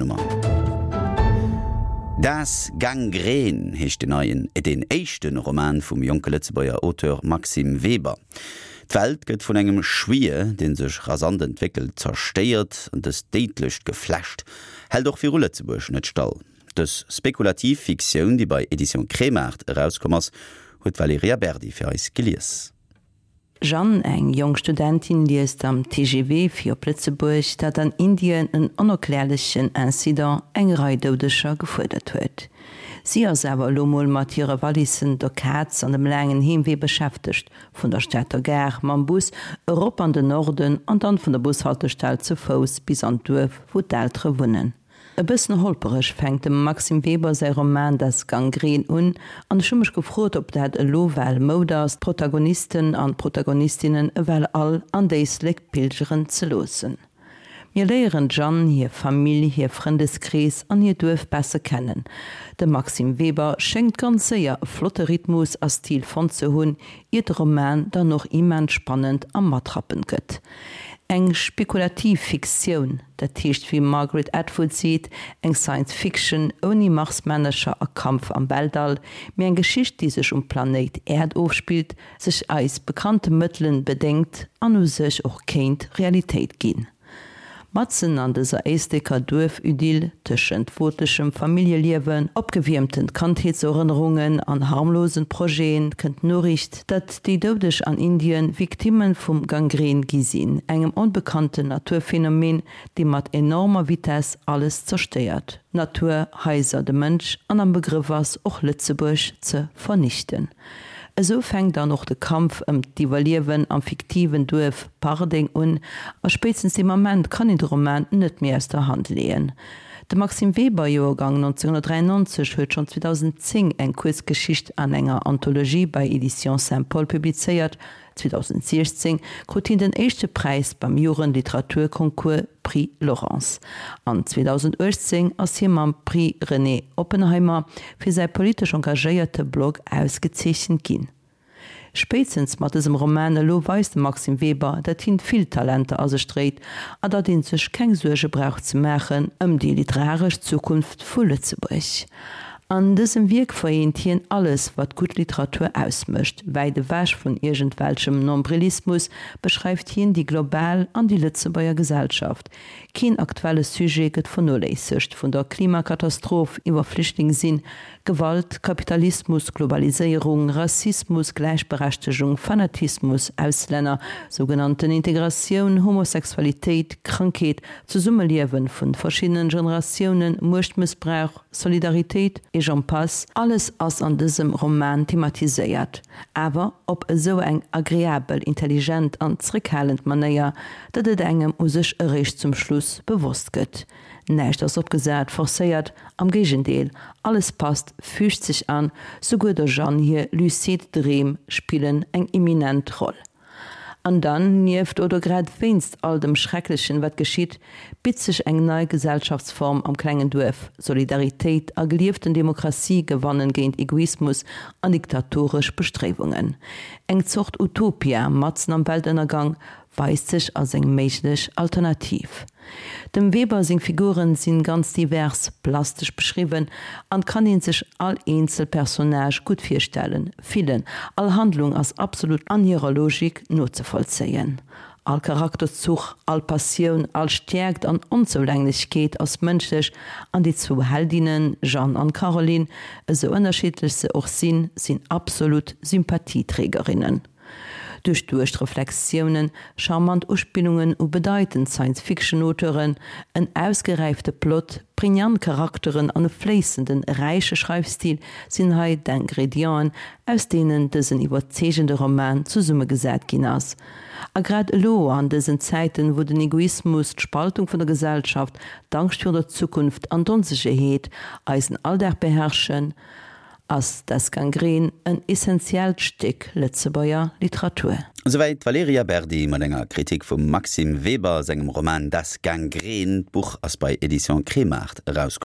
Nummer. Das Gangrän heescht den neien, deen éischte Roman vum jonke Lëtzebuerger Auteur Maxime Weber. D'Welt gëtt vun engem Schwier, dee sech rasant entwéckelt, zerstéiert an dëst déidlecht Geflecht hält och viru Lëtzebuerg net stall. Dës spekulativ Fiktioun, déi bei Editions Kremart erauskomm ass, huet d'Valerija Berdi fir eis gelies. Jeanne, eng jonk Studentin, liest am TGV fir op Lëtzebuerg, datt an Indien en onerklärlechen Incident eng Rei Doudeger gefuerdert huet. Si ass awer elo mol mat hire Wallissen, der Kaz an dem laangen Heemwee beschäftegt, vun der Stater Gare mam Bus erop an den Norden an dann vun der Bushaltestell ze Fouss bis an d'Duerf, wou d'Eltere wunnen. E bëssen holpereg fänkt dem Maxime Weber säi Roman Das Gangrän un, an ech hu mech gefrot, ob dat elo well Moud ass, d'Protagonisten an d'Protagonistinnen ewell all an d'Éislek pilgeren ze loossen. Mir léieren d'Jeanne, hir Famill, hir Frëndeskrees an hiert Duerf besser kennen. De Maxime Weber schéngt ganz séier e flotte Rhythmus a Stil fonnt ze hunn, iert de Roman dann och immens spannend a matrappend gëtt. Eng spekulativ Fiktioun, dat heescht wéi Margaret Atwood seet, eng Science Fiction ouni Marsmännercher a Kampf am Weltall, mee eng Geschicht déi sech um Planéit Äerd ofspillt, sech eis bekannte Mëttelen bedéngt an u sech och kéint Realitéit ginn. Matzen an dëser éisleker Duerfidyll, tëschent wootlechem Familljeliewen, opgewiermten Kandheetserënnerungen an harmlosen Projeten, kënnt d'Noriicht, datt déi Doudeg an Indien Victimme vum Gangrän gi sinn, engem onbekannten Naturphenomen, dee mat enormer Vitess alles zerstéiert, Natur, Haiser, de Mënsch, an am Begrëff ass, och Lëtzebuerg ze vernichten. Esou fänkt dann och de Kampf ëm d'Iwwerliewen am fiktiven Duerf Pardeng un, a spéitstens dee Moment kann een de Roman net méi aus der Hand leeën. De Maxime Weber, Joergang 1993, huet schonn 2010 eng Kuerzgeschicht an enger Anthologie bei Editions Saint-Paul publizéiert. 2016 krut hien den éischte Präis beim Jugendliteraturconcours Prix Laurence an 2018 ass hie mam Prix René Oppenheimer fir säi politesch engagéierte Blog ausgezeechent ginn. Spéitstens mat dësem Roman elo weist de Maxime Weber, datt hien vill Talenter a sech dréit a datt ee sech keng Suerge brauch ze maachen ëm déi literaresch Zukunft vu Lëtzebuerg. An dësem Wierk vereent hien alles, wat gutt Literatur ausmécht. Wäit ewech vun iergendwelchem Nombrilismus beschreift hien déi global an déi Lëtzebuerger Gesellschaft. Keen aktuelle Sujet gëtt vernoléissegt, vun der Klimakatastroph iwwer Flüchtling sinn, Gewalt, Kapitalismus, Globaliséierung, Rassismus, Gläichberechtegung, Fanatismus, Auslänner, sougenannten Integratioun, Homosexualitéit, Krankheet, Zesummeliewen vun verschiddenen Generatiounen, Muechtmëssbrauch, Solidaritéit et j'en passe, alles ass an dësem Roman thematiséiert, awer op esou eng agreabel, intelligent an zréckhalend Manéier, datt et engem u sech eréischt zum Schluss bewosst gëtt. Näischt ass opgesat, forcéiert, am Géigendeel, alles passt, füügt sech an, souguer der Jeanne hir lucid Dreem spillen eng imminent Roll. An dann, nieft oder grad wéinst all dem Schrecklechen, wat geschitt, bitt sech eng nei Gesellschaftsform am klengen Duerf, Solidaritéit a gelieften Demokratie gewannen géint Egoismus an diktatoresch Bestréiwungen. Eng Zort Utopia matzen am Weltënnergang weist sech als eng méiglech Alternativ. Dem Weber seng Figuren sinn ganz divers, plastesch beschriwwen an kann een sech all eenzel Personnage gutt virstellen, fillen. All Handlung ass absolut an hirer Logik nozevollzéien. All Charakterzuch, all Passioun, all Stäerkt an Onzoulänglechkeet ass mënschlech an déi zwou Heldinnen, Jeanne an Caroline, esou ënnerschiddlech se och sinn, sinn absolut Sympathieträgerinnen. Duerchduecht Reflexiounen, charmant Uspillungen u bedeitend Science-Fiction-Auteuren, en ausgeräifte Plot, pregnant Charakteren an e fléissenden, räiche Schreifstil sinn hei d'Ingredienten, aus deenen dësen iwwerzeegende Roman zesummegesat ginn ass. A grad elo, an dësen Zäiten, wou den Egoismus, d'Spaltung vun der Gesellschaft, d'Angscht virun der Zukunft an d'Onsécherheet eisen Alldag beherrschen, Ass Das Gangrän en essentiellt Stéck Lëtzebuerger Literatur? Esouwäit d'Valerija Berdi mat enger Kritik vum Maxime Weber sengem Roman Das Gangrän. D'Buch ass bei Editions Kremart erauskomm.